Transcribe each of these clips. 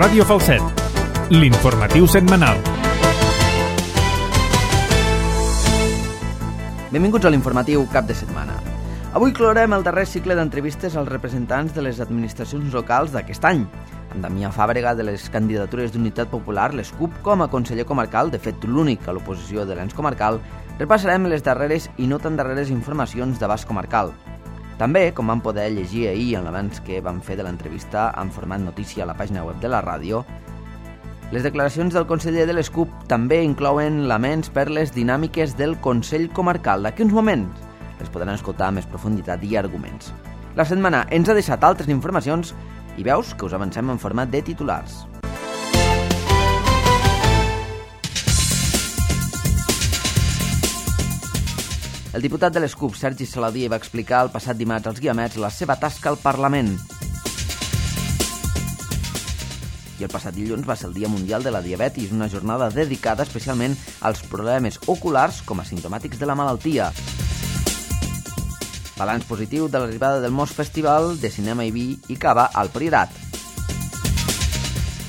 Ràdio Falset, l'informatiu setmanal. Benvinguts a l'informatiu cap de setmana. Avui clorem el darrer cicle d'entrevistes als representants de les administracions locals d'aquest any. Amb Damià Fàbrega de les candidatures d'Unitat Popular, les CUP, com a conseller comarcal, de fet l'únic a l'oposició de l'ens comarcal, repassarem les darreres i no tan darreres informacions d'abast comarcal. També, com vam poder llegir ahir en l'avanç que vam fer de l'entrevista en format notícia a la pàgina web de la ràdio, les declaracions del conseller de les CUP també inclouen laments per les dinàmiques del Consell Comarcal. D'aquí uns moments les podran escoltar amb més profunditat i arguments. La setmana ens ha deixat altres informacions i veus que us avancem en format de titulars. El diputat de les CUP, Sergi Saladié, va explicar el passat dimarts als Guiamets la seva tasca al Parlament. I el passat dilluns va ser el Dia Mundial de la Diabetis, una jornada dedicada especialment als problemes oculars com a simptomàtics de la malaltia. Balanç positiu de l'arribada del Mos Festival de Cinema i Vi i Cava al Priorat.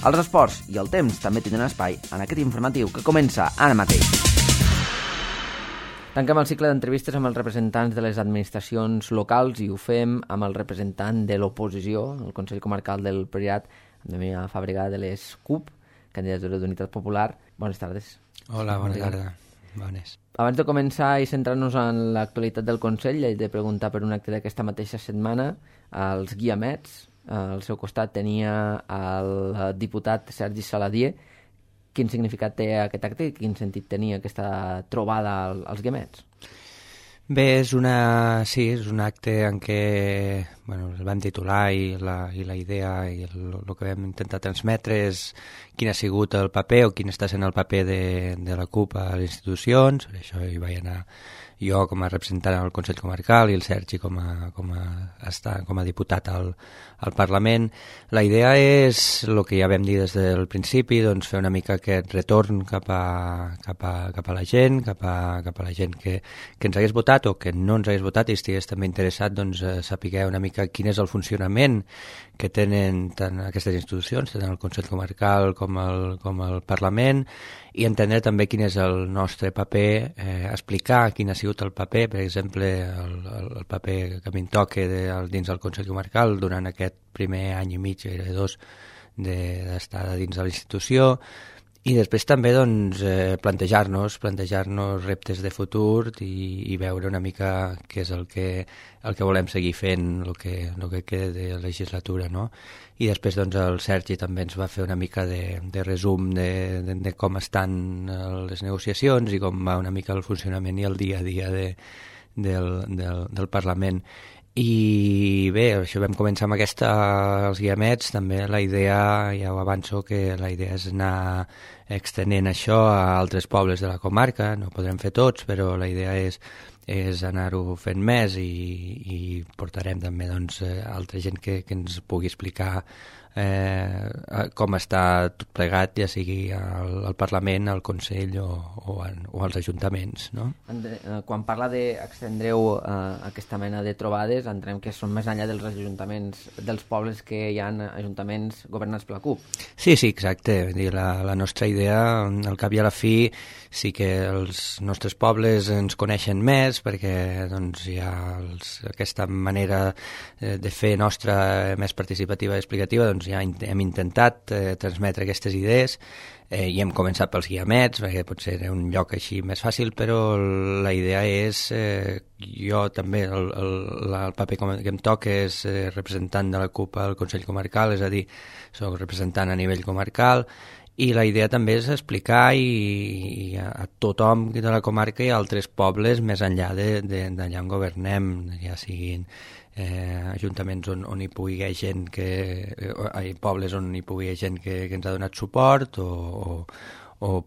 Els esports i el temps també tindran espai en aquest informatiu que comença ara mateix. Tanquem el cicle d'entrevistes amb els representants de les administracions locals i ho fem amb el representant de l'oposició, el Consell Comarcal del Priorat, Damià Fàbrega de les CUP, candidatura d'Unitat Popular. Bones tardes. Hola, bona tarda. Bones. Abans de començar i centrar-nos en l'actualitat del Consell, he de preguntar per un acte d'aquesta mateixa setmana als Guiamets. Al seu costat tenia el diputat Sergi Saladié. Quin significat té aquest acte i quin sentit tenia aquesta trobada als Guiamets? Bé, és un acte en què el vam titular i la idea i el que vam intentar transmetre és quin ha sigut el paper o quin està sent el paper de la CUP a les institucions. Per això hi vaig anar jo com a representant al Consell Comarcal i el Sergi com a diputat al Parlament. La idea és, el que ja vam dir des del principi, doncs fer una mica aquest retorn cap a la gent, cap a la gent que ens hagués votat o que no ens hagués votat i estigués també interessat saber una mica quin és el funcionament que tenen tant aquestes institucions, tant el Consell Comarcal com el Parlament, i entendre també quin és el nostre paper, explicar quin ha sigut el paper, per exemple, el paper que a mi em toca dins del Consell Comarcal durant aquest primer any i mig, gairebé dos, d'estar dins de la institució, i després també plantejar-nos reptes de futur i veure una mica què és el que volem seguir fent, el que queda de legislatura, no? I després el Sergi també ens va fer una mica de resum de com estan les negociacions i com va una mica el funcionament i el dia a dia del Parlament. I bé, això vam començar amb els Guiamets, també la idea, ja ho avanço, que la idea és anar extenent això a altres pobles de la comarca, no podrem fer tots, però la idea és anar-ho fent més i portarem també altra gent que ens pugui explicar com està tot plegat, ja sigui al Parlament, al Consell o als ajuntaments, no? Quan parla d'extendreu aquesta mena de trobades, entenem que són més enllà dels ajuntaments, dels pobles que hi ha ajuntaments governats per la CUP. Sí, exacte. La nostra idea, al cap i a la fi, sí que els nostres pobles ens coneixen més perquè hi ha aquesta manera de fer nostra més participativa i explicativa, ja hem intentat transmetre aquestes idees i hem començat pels Guiamets, perquè potser era un lloc així més fàcil, però la idea és, jo també, el paper que em toca és representant de la CUP al Consell Comarcal, és a dir, soc representant a nivell comarcal, i la idea també és explicar a tothom de la comarca i a altres pobles més enllà d'allà on governem, ja siguin ajuntaments on hi pugui haver gent pobles on hi pugui haver gent que ens ha donat suport o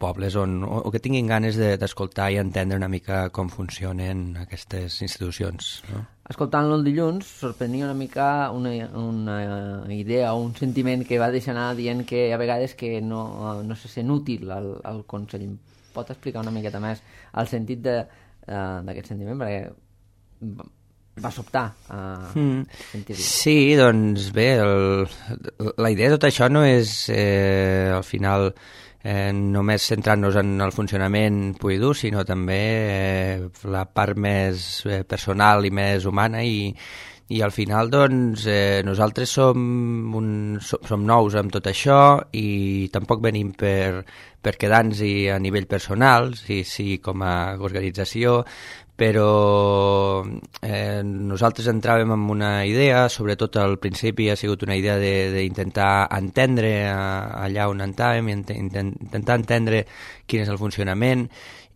pobles o que tinguin ganes d'escoltar i entendre una mica com funcionen aquestes institucions, no? Escoltant-lo el dilluns, sorprenia una mica una idea o un sentiment que va deixar anar dient que a vegades que no se sent útil al Consell. Pot explicar una miqueta més el sentit d'aquest sentiment? Perquè va sobtar sentir-ho. Sí, doncs bé, la idea de tot això no és al final només centrant-nos en el funcionament pur i dur, sinó també la part més personal i més humana i al final doncs nosaltres som nous amb tot això i tampoc venim per quedar-nos-hi a nivell personal, sí com a organització, però nosaltres entràvem amb una idea, sobretot al principi ha sigut una idea d'intentar entendre allà on entràvem, intentar entendre quin és el funcionament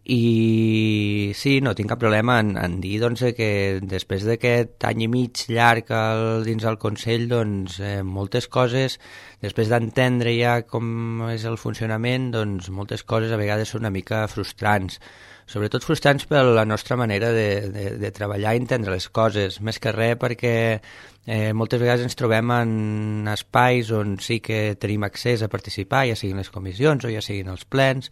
i sí, no tinc cap problema en dir doncs, que després d'aquest any i mig llarg dins el Consell, doncs, moltes coses, després d'entendre ja com és el funcionament, doncs, moltes coses a vegades són una mica frustrants, sobretot frustrants per la nostra manera de treballar i entendre les coses, més que res perquè moltes vegades ens trobem en espais on sí que tenim accés a participar, ja siguin les comissions o ja siguin els plens,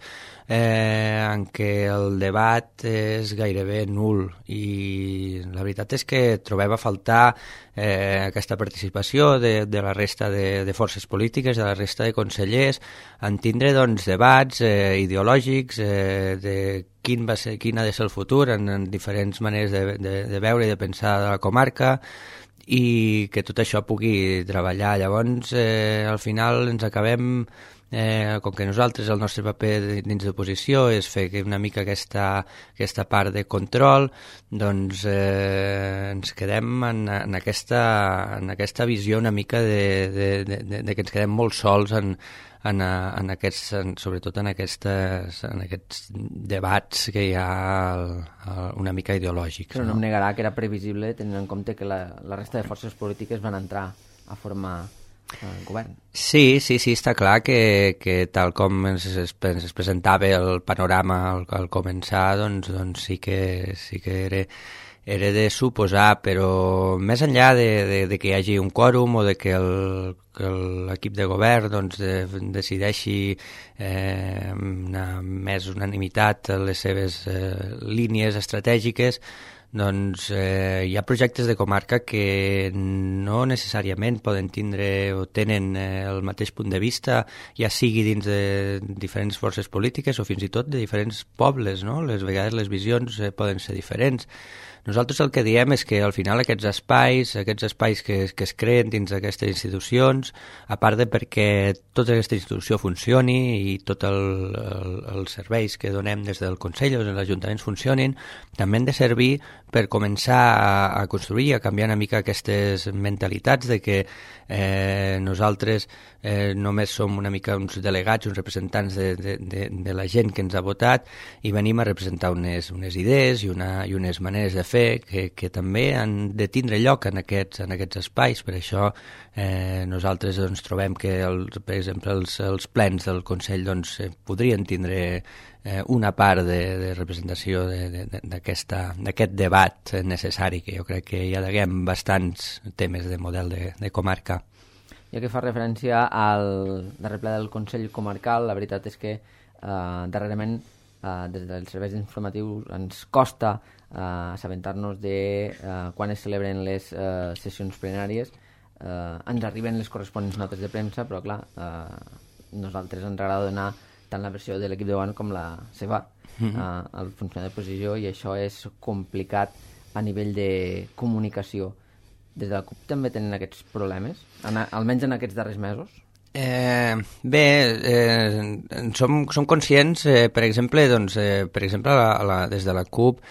en què el debat és gairebé nul i la veritat és que trobem a faltar aquesta participació de la resta de forces polítiques, de la resta de consellers, en tindre doncs, debats ideològics de quin ha de ser el futur en diferents maneres de veure i de pensar de la comarca i que tot això pugui treballar. Llavors, al final ens acabem, com que nosaltres el nostre paper dins d'oposició és fer una mica aquesta part de control, doncs ens quedem en aquesta visió una mica de que ens quedem molt sols sobretot en aquests debats que hi ha una mica ideològics. Però no em negarà que era previsible tenint en compte que la resta de forces polítiques van entrar a formar el govern. Sí, està clar que tal com es presentava el panorama al començar, doncs sí que era de suposar, però més enllà de que hi hagi un quòrum o de que l'equip de govern doncs, decideixi amb més unanimitat les seves línies estratègiques, doncs hi ha projectes de comarca que no necessàriament poden tindre o tenen el mateix punt de vista, ja sigui dins de diferents forces polítiques o fins i tot de diferents pobles, no? Les vegades les visions poden ser diferents. Nosaltres el que diem és que al final aquests espais que es creen dins d'aquestes institucions, a part de perquè tota aquesta institució funcioni i tots els serveis que donem des del Consell o dels ajuntaments funcionin, també han de servir per començar a construir i a canviar una mica aquestes mentalitats de que nosaltres només som una mica uns delegats, uns representants de la gent que ens ha votat i venim a representar unes idees i unes maneres de fer que també han de tindre lloc en aquests espais. Per això nosaltres doncs, trobem que, per exemple, els plens del Consell doncs, podrien tindre una part de representació d'aquest debat necessari, que jo crec que ja deguem bastants temes de model de comarca. Ja que fa referència al darrer ple del Consell Comarcal, la veritat és que darrerament des dels serveis informatius ens costa assabentar-nos de quan es celebren les sessions plenàries. Ens arriben les corresponents notes de premsa, però clar, nosaltres ens agrada donar tant la versió de l'equip de govern com la seva al funcionari d'oposició, i això és complicat a nivell de comunicació. Des de la CUP també tenen aquests problemes, almenys en aquests darrers mesos? Som conscients, per exemple, des de la CUP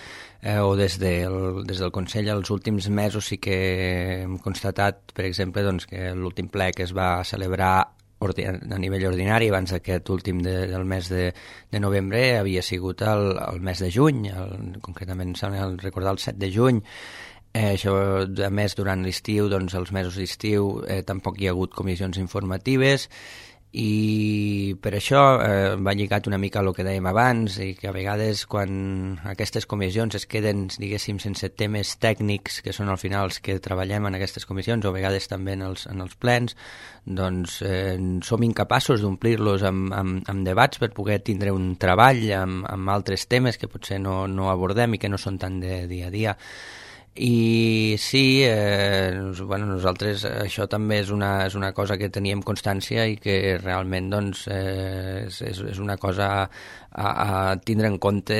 o des del Consell els últims mesos sí que hem constatat, per exemple, doncs, que l'últim ple que es va celebrar a nivell ordinari abans d'aquest últim del mes de novembre havia sigut el mes de juny, concretament recordar el 7 de juny. Això, a més, durant l'estiu, doncs, els mesos d'estiu, tampoc hi ha hagut comissions informatives i per això va lligat una mica al que dèiem abans, i que a vegades quan aquestes comissions es queden, diguéssim, sense temes tècnics, que són al final els que treballem en aquestes comissions, o a vegades també en els plens, doncs som incapaços d'omplir-los amb debats per poder tindre un treball amb altres temes que potser no abordem i que no són tant de dia a dia. I sí, nosaltres això també és una cosa que teníem constància i que realment doncs, és una cosa a tindre en compte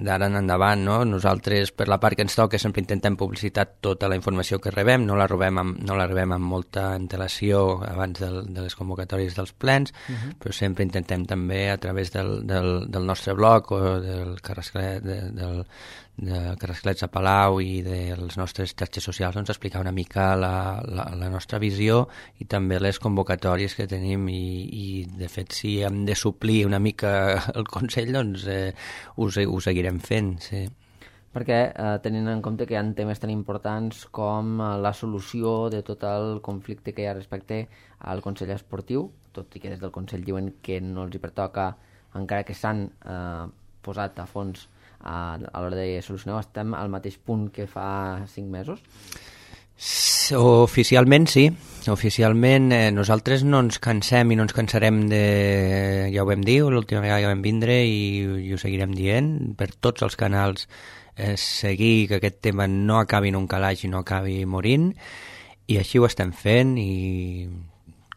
d'ara en endavant. No? Nosaltres, per la part que ens toca, sempre intentem publicitar tota la informació que rebem, no la rebem amb molta antelació abans de les convocatòries dels plens, però sempre intentem també a través del nostre blog o del Carrasclets a Palau i de les nostres xarxes socials doncs, explicar una mica la nostra visió i també les convocatòries que tenim i de fet si hem de suplir una mica el Consell doncs ho seguirem fent, sí. Perquè tenint en compte que hi ha temes tan importants com la solució de tot el conflicte que hi ha respecte al Consell Esportiu, tot i que des del Consell diuen que no els hi pertoca, encara que s'han posat a fons a l'hora de solucionar, estem al mateix punt que fa 5 mesos? Oficialment sí. Oficialment nosaltres no ens cansem i no ens cansarem ja ho vam dir, l'última vegada que vam vindre i ho seguirem dient, per tots els canals seguir que aquest tema no acabi en un calaix i no acabi morint, i així ho estem fent i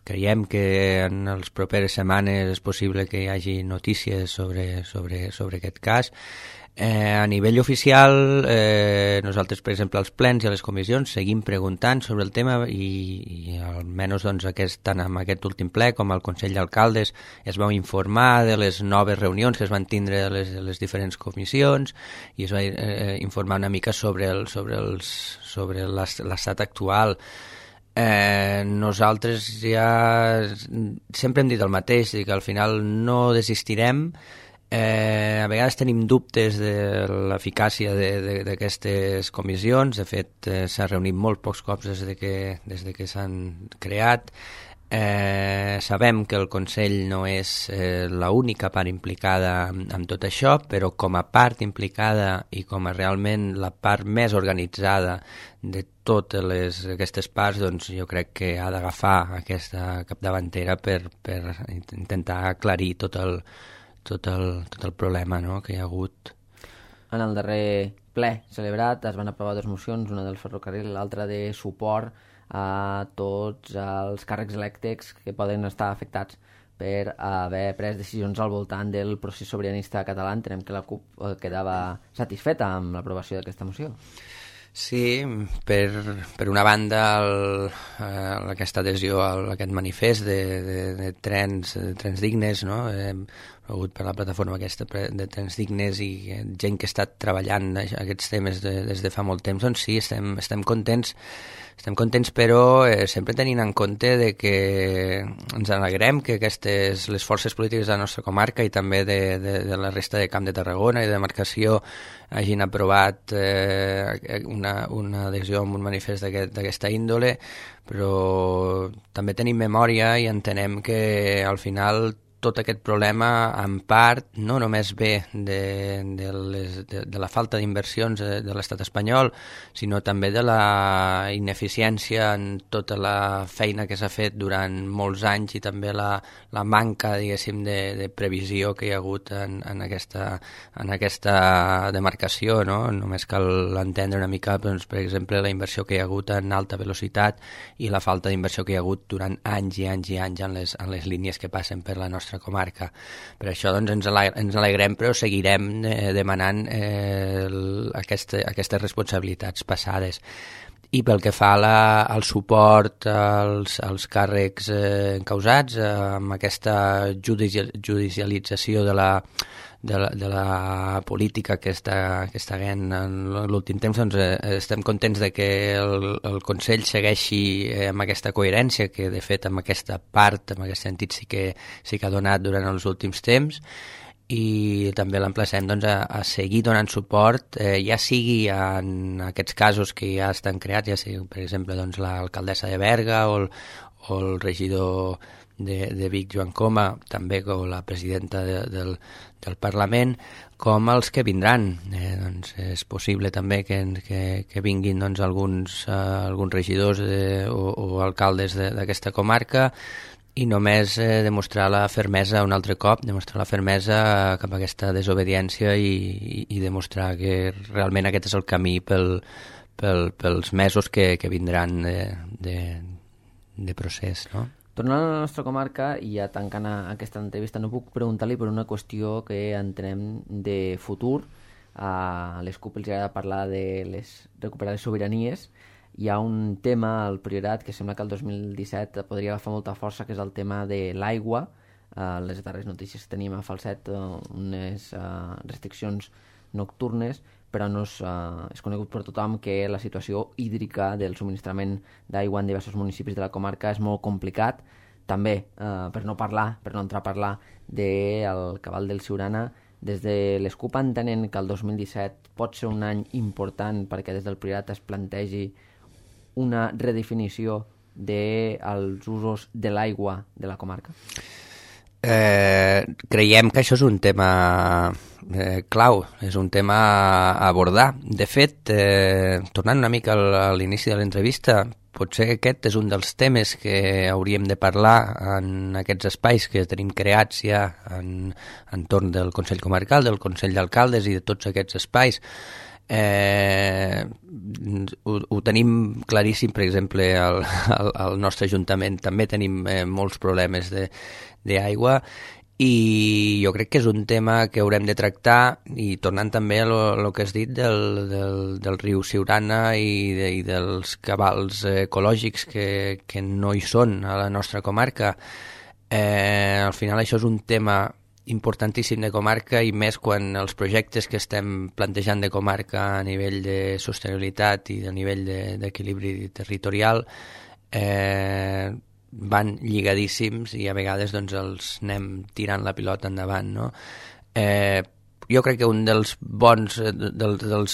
creiem que en les properes setmanes és possible que hi hagi notícies sobre aquest cas. A nivell oficial, nosaltres, per exemple, als plens i a les comissions seguim preguntant sobre el tema i almenys doncs, tant en aquest últim ple com al Consell d'Alcaldes es va informar de les noves reunions que es van tindre a les diferents comissions i es va informar una mica sobre l'estat actual. Nosaltres ja sempre hem dit el mateix, que al final no desistirem. A vegades tenim dubtes de l'eficàcia d'aquestes comissions. De fet, s'ha reunit molt pocs cops des de que s'han creat. Sabem que el Consell no és l'única part implicada en tot això, però com a part implicada i com a realment la part més organitzada de totes aquestes parts, doncs jo crec que ha d'agafar aquesta capdavantera per intentar aclarir tot el problema, no?, que hi ha hagut. En el darrer ple celebrat es van aprovar 2 mocions, una del ferrocarril i l'altra de suport a tots els càrrecs elèctrics que poden estar afectats per haver pres decisions al voltant del procés sobiranista català. Entenem que la CUP quedava satisfeta amb l'aprovació d'aquesta moció. Sí, per una banda aquesta adhesió a aquest manifest de trens dignes, no? Hem hagut per la plataforma aquesta de trens dignes i gent que ha estat treballant aquests temes des de fa molt temps, doncs sí, estem contents, però sempre tenint en compte de que ens alegrem que les forces polítiques de la nostra comarca i també de la resta de Camp de Tarragona i de demarcació hagin aprovat una adhesió amb un manifest d'aquesta índole, però també tenim memòria i entenem que al final tot aquest problema en part no només ve de la falta d'inversions de l'estat espanyol, sinó també de la ineficiència en tota la feina que s'ha fet durant molts anys i també la manca, diguéssim, de previsió que hi ha hagut en aquesta demarcació, no? Només cal entendre una mica, doncs, per exemple, la inversió que hi ha hagut en alta velocitat i la falta d'inversió que hi ha hagut durant anys i anys i anys en les línies que passen per la nostra comarca. Per això doncs, ens alegrem, però seguirem demanant aquestes responsabilitats passades. I pel que fa al suport als càrrecs encausats, amb aquesta judicialització de la política que està havent en l'últim temps, doncs estem contents de que el Consell segueixi amb aquesta coherència que de fet amb aquesta part, amb aquest sentit sí que ha donat durant els últims temps, i també l'emplacem doncs, a seguir donant suport, ja sigui en aquests casos que ja estan creats, ja sigui per exemple doncs, l'alcaldessa de Berga o el regidor de Vic, Joan Coma, també com la presidenta del Parlament, com els que vindran. Doncs és possible també que vinguin doncs, alguns regidors o alcaldes d'aquesta comarca, i només demostrar la fermesa un altre cop, demostrar la fermesa cap a aquesta desobediència i demostrar que realment aquest és el camí pel pels mesos que vindran de procés, no? Tornant a la nostra comarca, i ja tancant aquesta entrevista, no puc preguntar-li per una qüestió que entenem de futur. A les CUP els agrada parlar de recuperar les sobiranies. Hi ha un tema al Priorat que sembla que el 2017 podria agafar molta força, que és el tema de l'aigua. Les darreres notícies que tenim a Falset, unes restriccions nocturnes, però no és conegut per tothom que la situació hídrica del subministrament d'aigua en diversos municipis de la comarca és molt complicat. També, per no entrar a parlar del cabal del Siurana, des de les CUP entenen que el 2017 pot ser un any important perquè des del Priorat es plantegi una redefinició dels usos de l'aigua de la comarca? Creiem que això és un tema clau, és un tema a abordar. De fet, tornant una mica a l'inici de l'entrevista, potser aquest és un dels temes que hauríem de parlar en aquests espais que tenim creats ja entorn del Consell Comarcal, del Consell d'Alcaldes i de tots aquests espais. Ho tenim claríssim, per exemple, al nostre Ajuntament també tenim molts problemes d'aigua i jo crec que és un tema que haurem de tractar, i tornant també a lo que has dit del riu Siurana i dels cabals ecològics que no hi són a la nostra comarca. Al final això és un tema importantíssim de comarca, i més quan els projectes que estem plantejant de comarca a nivell de sostenibilitat i a nivell d'equilibri territorial van lligadíssims i a vegades doncs, els anem tirant la pilota endavant, no? Jo crec que un dels dels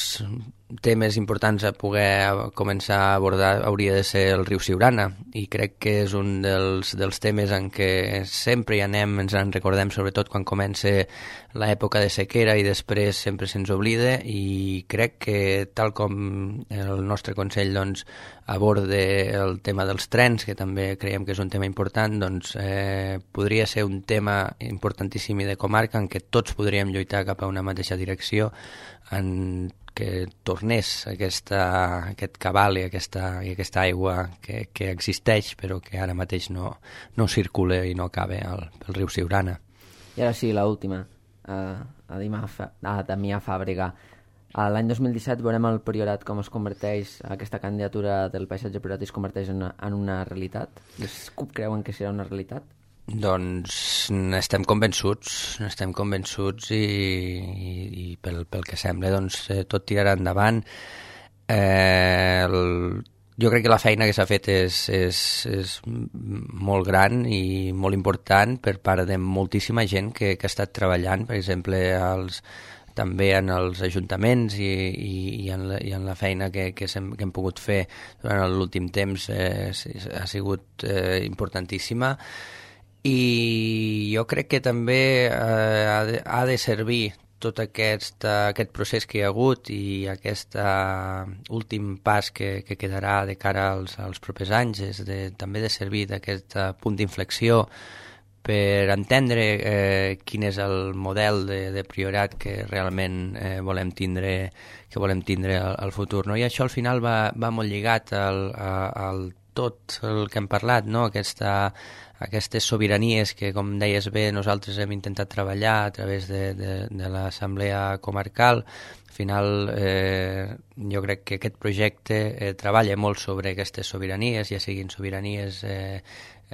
temes importants a poder començar a abordar hauria de ser el riu Siurana, i crec que és un dels temes en què sempre hi anem, ens en recordem sobretot quan comença l'època de sequera i després sempre se'ns oblida, i crec que tal com el nostre Consell doncs, aborda el tema dels trens, que també creiem que és un tema important, doncs podria ser un tema importantíssim i de comarca en què tots podríem lluitar cap a una mateixa direcció, en que tornés aquest cabal i aquesta aigua que existeix però que ara mateix no circula i no acaba pel riu Siurana. I ara sí, l'última, a Damià Fàbrega. L'any 2017 veurem el Priorat com es converteix, aquesta candidatura del paisatge priorat es converteix en una realitat? Les CUP creuen que serà una realitat? Doncs estem convençuts i pel que sembla doncs, tot tirarà endavant. Jo crec que la feina que s'ha fet és molt gran i molt important per part de moltíssima gent que ha estat treballant, per exemple, també en els ajuntaments i en la feina que hem pogut fer durant l'últim temps ha sigut importantíssima. I jo crec que també ha de servir tot aquest procés que hi ha hagut i aquest últim pas que quedarà de cara als propers anys, també de servir d'aquest punt d'inflexió per entendre quin és el model de Priorat que realment volem tindre al futur, no? I això al final va molt lligat al tot el que hem parlat, no? Aquestes sobiranies que, com deies bé, nosaltres hem intentat treballar a través de l'Assemblea Comarcal. Al final, jo crec que aquest projecte treballa molt sobre aquestes sobiranies, ja siguin sobiranies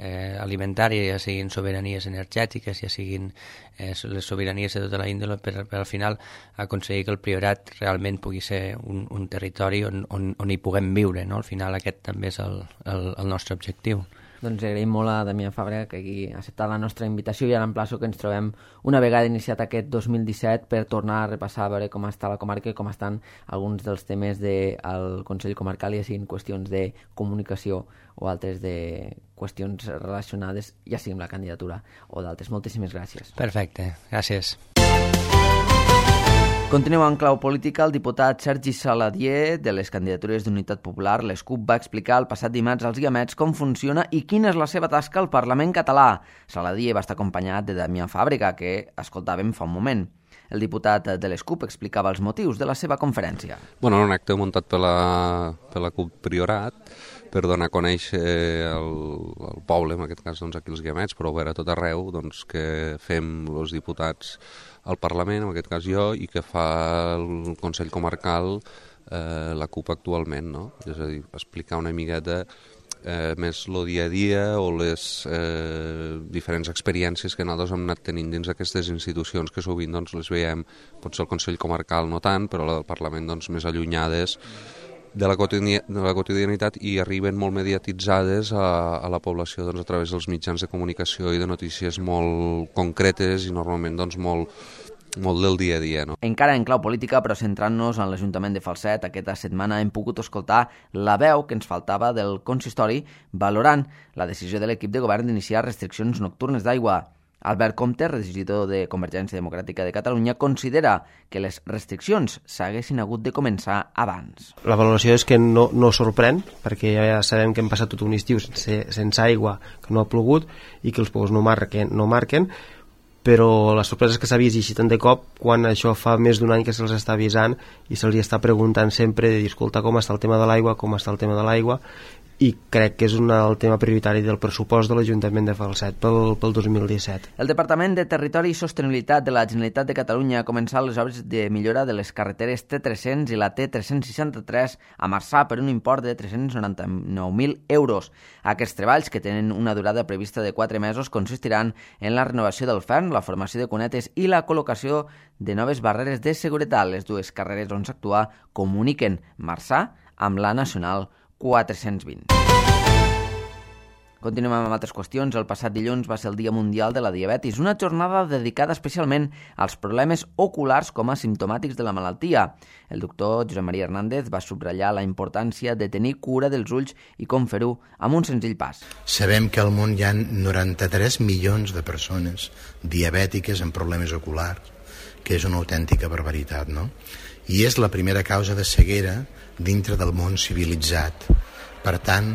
alimentàries, ja siguin sobiranies energètiques, ja siguin les sobiranies de tota la índole, per al final aconseguir que el Priorat realment pugui ser un territori on hi puguem viure, no? Al final aquest també és el nostre objectiu. Doncs agraïm molt a Damià Fàbrega que hagi acceptat la nostra invitació, i ara emplaço que ens trobem una vegada iniciat aquest 2017 per tornar a repassar, a veure com està la comarca i com estan alguns dels temes del Consell Comarcal, ja siguin qüestions de comunicació o altres de qüestions relacionades, ja sigui amb la candidatura o d'altres. Moltíssimes gràcies. Perfecte, gràcies. Continuem en clau política. El diputat Sergi Saladié, de les candidatures d'Unitat Popular, les CUP, va explicar el passat dimarts als Guiamets com funciona i quina és la seva tasca al Parlament català. Saladié va estar acompanyat de Damià Fàbrega, que escoltàvem fa un moment. El diputat de les CUP explicava els motius de la seva conferència. Bueno, un acte muntat per la CUP Priorat per donar a conèixer el poble, en aquest cas doncs, aquí els Guiamets, però a tot arreu doncs, que fem els diputats al Parlament, en aquest cas jo, i que fa el Consell Comarcal la CUP actualment, no? És a dir, explicar una miqueta més el dia a dia o les diferents experiències que nosaltres hem anat tenint dins d'aquestes institucions que sovint doncs, les veiem, potser el Consell Comarcal no tant, però la del Parlament doncs, més allunyades de la quotidianitat i arriben molt mediatitzades a la població doncs, a través dels mitjans de comunicació i de notícies molt concretes i normalment doncs, molt del dia a dia. No? Encara en clau política, però centrant-nos en l'Ajuntament de Falset, aquesta setmana hem pogut escoltar la veu que ens faltava del consistori valorant la decisió de l'equip de govern d'iniciar restriccions nocturnes d'aigua. Albert Comte, regidor de Convergència Democràtica de Catalunya, considera que les restriccions s'haguessin hagut de començar abans. La valoració és que no sorprèn, perquè ja sabem que hem passat tot un estiu sense aigua, que no ha plogut i que els pous no marquen, però la sorpresa és que s'ha vist així tant de cop quan això fa més d'un any que se'ls està avisant i se'ls està preguntant sempre de dir, escolta, com està el tema de l'aigua, i crec que és el tema prioritari del pressupost de l'Ajuntament de Falset pel 2017. El Departament de Territori i Sostenibilitat de la Generalitat de Catalunya ha començat les obres de millora de les carreteres T300 i la T363 a Marçà per un import de 399.000 euros. Aquests treballs, que tenen una durada prevista de 4 mesos, consistiran en la renovació del fern, la formació de cunetes i la col·locació de noves barreres de seguretat. Les dues carreres on s'actua comuniquen Marçà amb la Nacional 420. Continuem amb altres qüestions. El passat dilluns va ser el Dia Mundial de la Diabetis, una jornada dedicada especialment als problemes oculars com a simptomàtics de la malaltia. El doctor Josep Maria Hernández va subratllar la importància de tenir cura dels ulls i com fer-ho amb un senzill pas. Sabem que al món hi ha 93 milions de persones diabètiques amb problemes oculars, que és una autèntica barbaritat, no? I és la primera causa de ceguera dintre del món civilitzat. Per tant,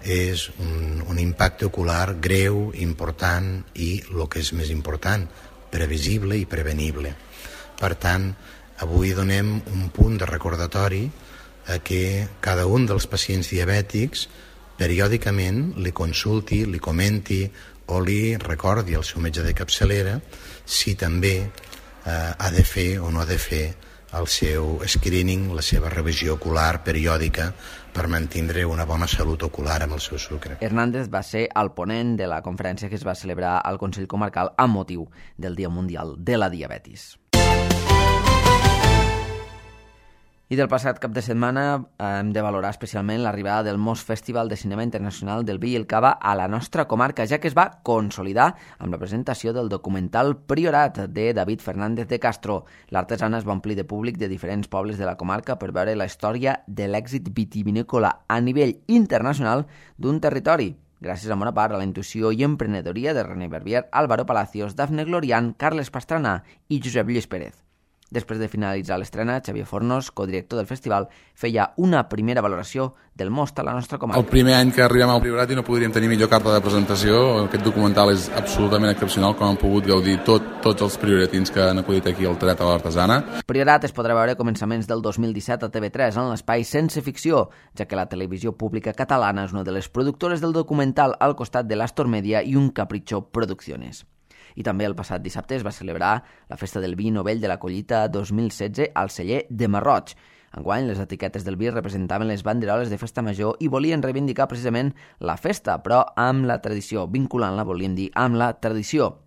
és un impacte ocular greu, important i, el que és més important, previsible i prevenible. Per tant, avui donem un punt de recordatori a que cada un dels pacients diabètics periòdicament li consulti, li comenti o li recordi al seu metge de capçalera si també ha de fer o no ha de fer el seu screening, la seva revisió ocular periòdica per mantindre una bona salut ocular amb el seu sucre. Hernández va ser el ponent de la conferència que es va celebrar al Consell Comarcal amb motiu del Dia Mundial de la Diabetis. I del passat cap de setmana hem de valorar especialment l'arribada del Mos Festival de Cinema Internacional del Vi i el Cava a la nostra comarca, ja que es va consolidar amb la presentació del documental Priorat de David Fernández de Castro. L'artesana es va omplir de públic de diferents pobles de la comarca per veure la història de l'èxit vitivinícola a nivell internacional d'un territori, gràcies en bona part a la intuïció i emprenedoria de René Verbier, Álvaro Palacios, Dafne Glorian, Carles Pastrana i Josep Lluís Pérez. Després de finalitzar l'estrena, Xavier Fornos, codirector del festival, feia una primera valoració del Most a la nostra comarca. El primer any que arribem al Priorat i no podríem tenir millor carta de presentació. Aquest documental és absolutament excepcional, com han pogut gaudir tots els prioratins que han acudit aquí al Teatre de l'Artesana. Priorat es podrà veure a començaments del 2017 a TV3 en l'espai Sense Ficció, ja que la televisió pública catalana és una de les productores del documental al costat de l'Astor Media i un Capricho Producciones. I també el passat dissabte es va celebrar la Festa del Vi Novell de la Collita 2016 al celler de Marroig. Enguany, les etiquetes del vi representaven les banderoles de festa major i volien reivindicar precisament la festa, però amb la tradició, vinculant-la, volíem dir, amb la tradició.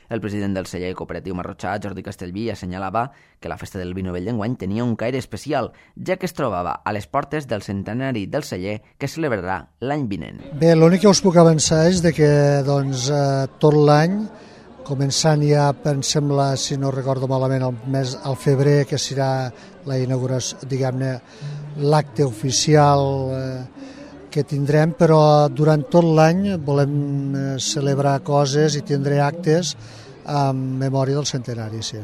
El president del celler cooperatiu marrotxà, Jordi Castellví, assenyalava que la Festa del Vi Novell d'enguany tenia un caire especial, ja que es trobava a les portes del centenari del celler que es celebrarà l'any vinent. Bé, l'únic que us puc avançar és de que tot l'any, començant ja, em sembla, si no recordo malament, al febrer, que serà la inauguració, diguem-ne, l'acte oficial que tindrem, però durant tot l'any volem celebrar coses i tindré actes en memòria del centenari, sí.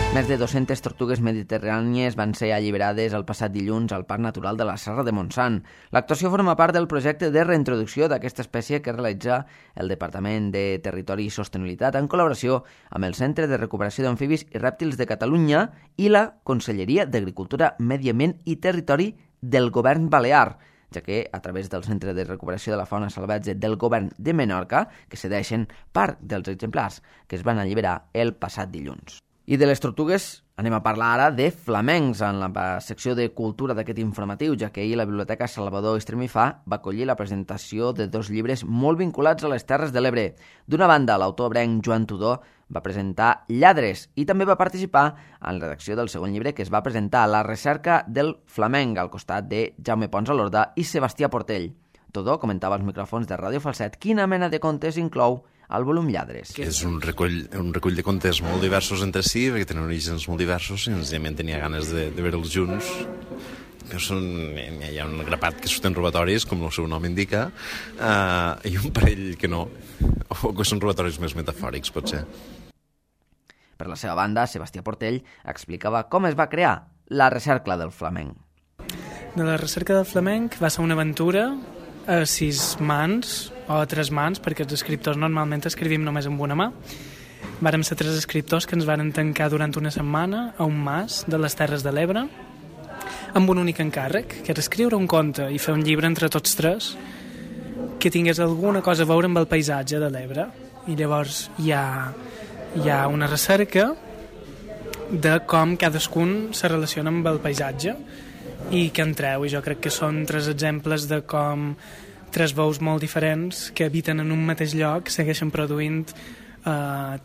Més de 200 tortugues mediterrànies van ser alliberades el passat dilluns al Parc Natural de la Serra de Montsant. L'actuació forma part del projecte de reintroducció d'aquesta espècie que realitza el Departament de Territori i Sostenibilitat en col·laboració amb el Centre de Recuperació d'Amfibis i Rèptils de Catalunya i la Conselleria d'Agricultura, Medi Ambient i Territori del Govern Balear, ja que a través del Centre de Recuperació de la Fauna Salvatge del Govern de Menorca que cedeixen part dels exemplars que es van alliberar el passat dilluns. I de les tortugues anem a parlar ara de flamencs en la secció de cultura d'aquest informatiu, ja que ahir la Biblioteca Salvador Estremifà va acollir la presentació de 2 llibres molt vinculats a les Terres de l'Ebre. D'una banda, l'autor ebrenc Joan Tudó va presentar Lladres i també va participar en la redacció del segon llibre que es va presentar La recerca del flamenc al costat de Jaume Pons Alorda i Sebastià Portell. Tudó comentava als micròfons de Ràdio Falset quina mena de contes inclou el volum Lladres. És un recull de contes molt diversos entre si, perquè tenen orígens molt diversos i senzillament tenia ganes de veure-los junts. Hi ha un grapat que surten robatoris, com el seu nom indica, i un parell que no, o que són robatoris més metafòrics, potser. Per la seva banda, Sebastià Portell explicava com es va crear la recerca del flamenc. De la recerca del flamenc va ser una aventura a 6 mans o a 3 mans, perquè els escriptors normalment escrivim només amb una mà. Vàrem ser 3 escriptors que ens varen tancar durant una setmana a un mas de les Terres de l'Ebre amb un únic encàrrec, que era escriure un conte i fer un llibre entre tots 3 que tingués alguna cosa a veure amb el paisatge de l'Ebre. I llavors hi ha una recerca de com cadascun se relaciona amb el paisatge i que en treu, i jo crec que són 3 exemples de com 3 veus molt diferents que habiten en un mateix lloc segueixen produint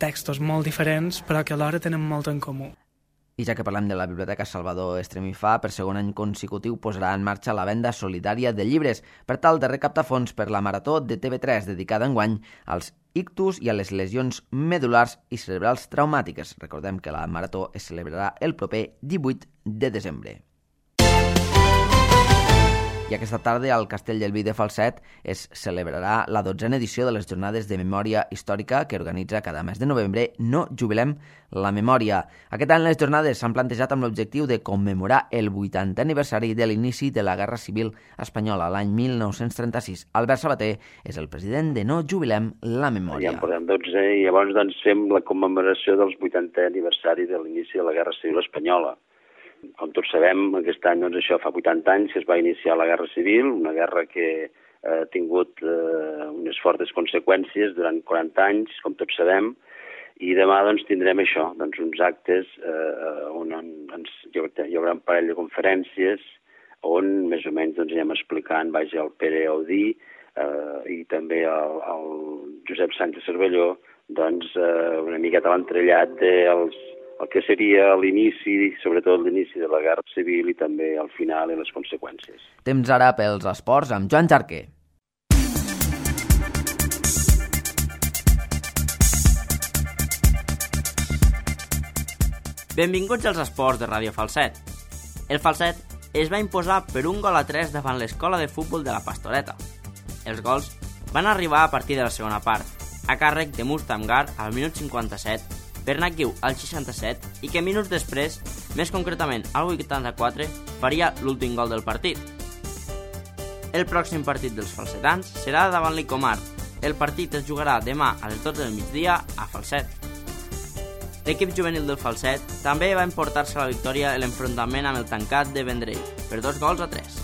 textos molt diferents però que alhora tenen molt en comú. I ja que parlem de la Biblioteca Salvador Estremifà, per segon any consecutiu posarà en marxa la venda solidària de llibres per tal de recaptar fons per la Marató de TV3 dedicada enguany als ictus i a les lesions medul·lars i cerebrals traumàtiques. Recordem que la Marató es celebrarà el proper 18 de desembre. I aquesta tarda al Castell del Vi de Falset es celebrarà la 12a edició de les Jornades de Memòria Històrica que organitza cada mes de novembre No Jubilem la Memòria. Aquest any les jornades s'han plantejat amb l'objectiu de commemorar el 80è aniversari de l'inici de la Guerra Civil Espanyola l'any 1936. Albert Sabater és el president de No Jubilem la Memòria. Ja en portem 12 i llavors fem la commemoració dels 80è aniversari de l'inici de la Guerra Civil Espanyola. Com tots sabem, aquest any això fa 80 anys que es va iniciar la Guerra Civil, una guerra que ha tingut unes fortes conseqüències durant 40 anys, com tots sabem, i demà tindrem això, uns actes on hi haurà un parell de conferències on més o menys anem explicant el Pere Audí i també el Josep Sánchez Cervelló una miqueta l'entrellat del el que seria l'inici, sobretot l'inici de la Guerra Civil i també al final i les conseqüències. Temps ara pels esports amb Joan Jarquer. Benvinguts als esports de Ràdio Falset. El Falset es va imposar per 1-3 davant l'escola de futbol de la Pastoreta. Els gols van arribar a partir de la segona part, a càrrec de Mustamgar al minut 57, Bernat Guiu al 67 i que minuts després, més concretament al 84, faria l'últim gol del partit. El pròxim partit dels falsetans serà davant l'Icomar. El partit es jugarà demà a les 12 del migdia a Falset. L'equip juvenil del Falset també va emportar-se la victòria en l'enfrontament amb el Tancat de Vendrell per 2-3.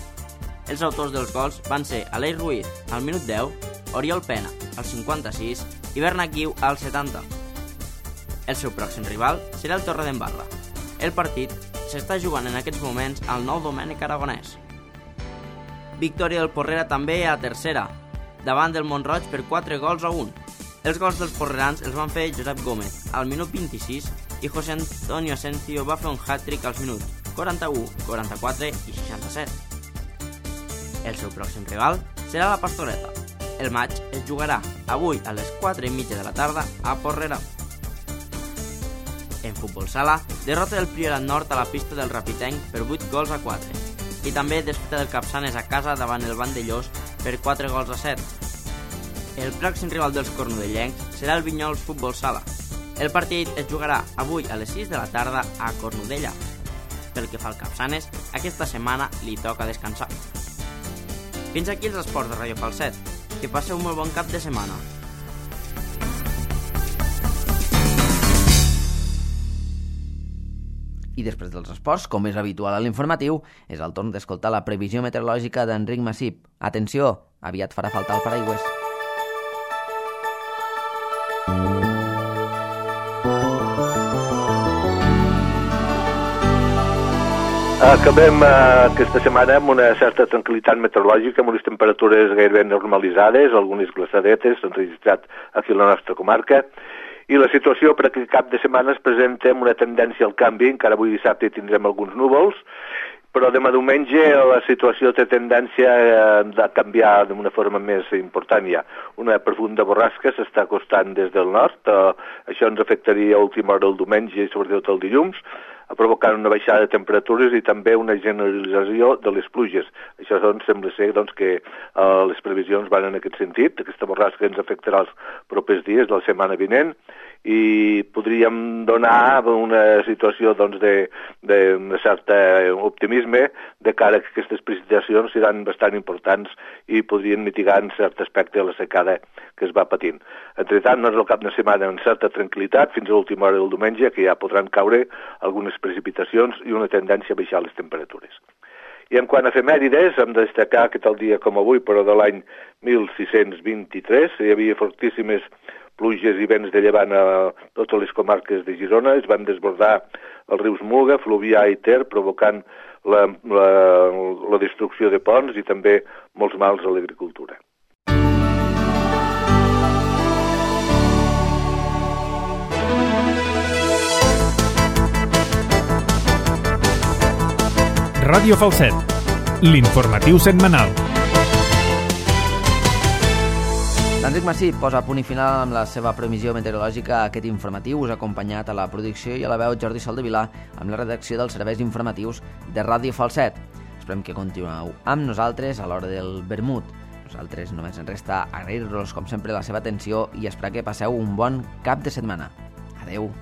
Els autors dels gols van ser Aleix Ruiz al minut 10, Oriol Pena al 56 i Bernat Guiu al 70. El seu pròxim rival serà el Torredembarra. El partit s'està jugant en aquests moments al Nou Domènec Aragonès. Victòria del Porrera també a tercera, davant del Montroig per 4-1. Els gols dels porrerans els van fer Josep Gómez al minut 26 i José Antonio Asencio va fer un hat-trick als minuts 41, 44 i 67. El seu pròxim rival serà la Pastoreta. El matx es jugarà avui a les 4:30 de la tarda a Porrera. En futbol sala, derrota del Priorat Nord a la pista del Rapitenc per 8-4 i també desfeta del Capçanes a casa davant el Vandellós per 4-7. El pròxim rival dels cornudellencs serà el Vinyols Futbol Sala. El partit es jugarà avui a les 6 de la tarda a Cornudella. Pel que fa al Capçanes, aquesta setmana li toca descansar. Fins aquí els esports de Ràdio Falset. Que passeu un molt bon cap de setmana. I després dels esports, com és habitual a l'informatiu, és el torn d'escoltar la previsió meteorològica d'Enric Massip. Atenció, aviat farà falta el paraigües. Acabem aquesta setmana amb una certa tranquil·litat meteorològica, amb unes temperatures gairebé normalitzades, algunes glaçadetes s'han registrat aquí a la nostra comarca, i la situació per aquest cap de setmana es presenta amb una tendència al canvi. Encara avui dissabte tindrem alguns núvols, però demà diumenge la situació té tendència a canviar d'una forma més important ja. Una profunda borrasca s'està acostant des del nord, això ens afectaria a última hora el diumenge i sobretot el dilluns, provocant una baixada de temperatures i també una generalització de les pluges. Això sembla ser que les previsions van en aquest sentit. Aquesta borrasca ens afectarà els propers dies de la setmana vinent i podríem donar una situació de cert optimisme de cara a que aquestes precipitacions seran bastant importants i podrien mitigar en cert aspecte la secada que es va patint. Entretant, el cap de setmana amb certa tranquil·litat fins a l'última hora del diumenge, que ja podran caure algunes precipitacions i una tendència a baixar les temperatures. I en quant a efemèrides, hem de destacar que tal dia com avui, però de l'any 1623, hi havia fortíssimes pluges i vents de llevant a totes les comarques de Girona. Es van desbordar els rius Muga, Fluvià i Ter, provocant la destrucció de ponts i també molts mals a l'agricultura. Ràdio Falset, l'informatiu setmanal. L'Enric Massip posa punt i final amb la seva previsió meteorològica a aquest informatiu. Us ha acompanyat a la producció i a la veu Jordi Soldevila amb la redacció dels serveis informatius de Ràdio Falset. Esperem que continueu amb nosaltres a l'hora del vermut. Nosaltres només ens resta agrair-vos com sempre la seva atenció i esperar que passeu un bon cap de setmana. Adeu.